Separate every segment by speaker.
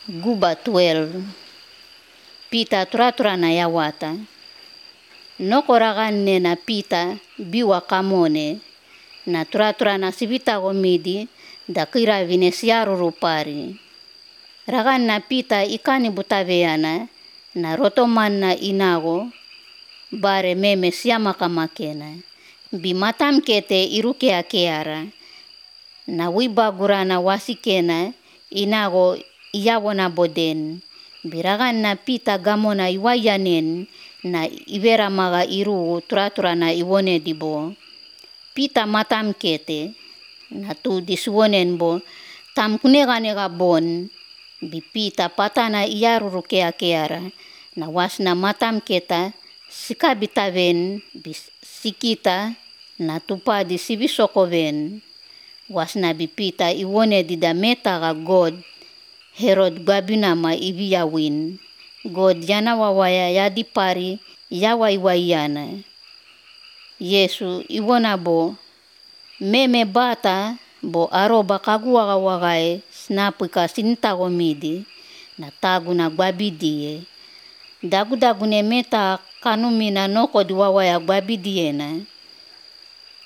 Speaker 1: Guba 12. Pita tura na yawata. Nokoragan ne na pita biwa kamone. Na tura na sibita gomidi da kira vinesiaru rupari. Ragan na pita ikani butaveana na rotoman na inago bare meme siama kamakena. Bimatam kete iruke akeara. Na wibagura na wasikena inago iyawona boden. Biragan na pita gamona iwayanen na ibera maga iru tura na iwone dibo. Pita matam kete na tu diswonen bo tam kunega bon. Bipita patana iyaruru keara na wasna matam keta sikabitaven bisikita na tupa di sibisokoven. Wasna bipita iwone dida meta ga God Herod babina ma ibiyawin. God yana wawaya yadipari yawaiwayana. Yesu iwona bo meme bata bo aroba kagua wagae snapika sintagomidi na tagu na gbabidie. Dagu-dagune meta kanumina noko diwawaya gbabidiena.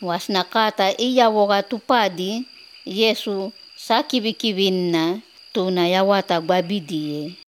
Speaker 1: Wasna kata iya woga tupadi Yesu sakibikibinna tuna yawata gbabidie.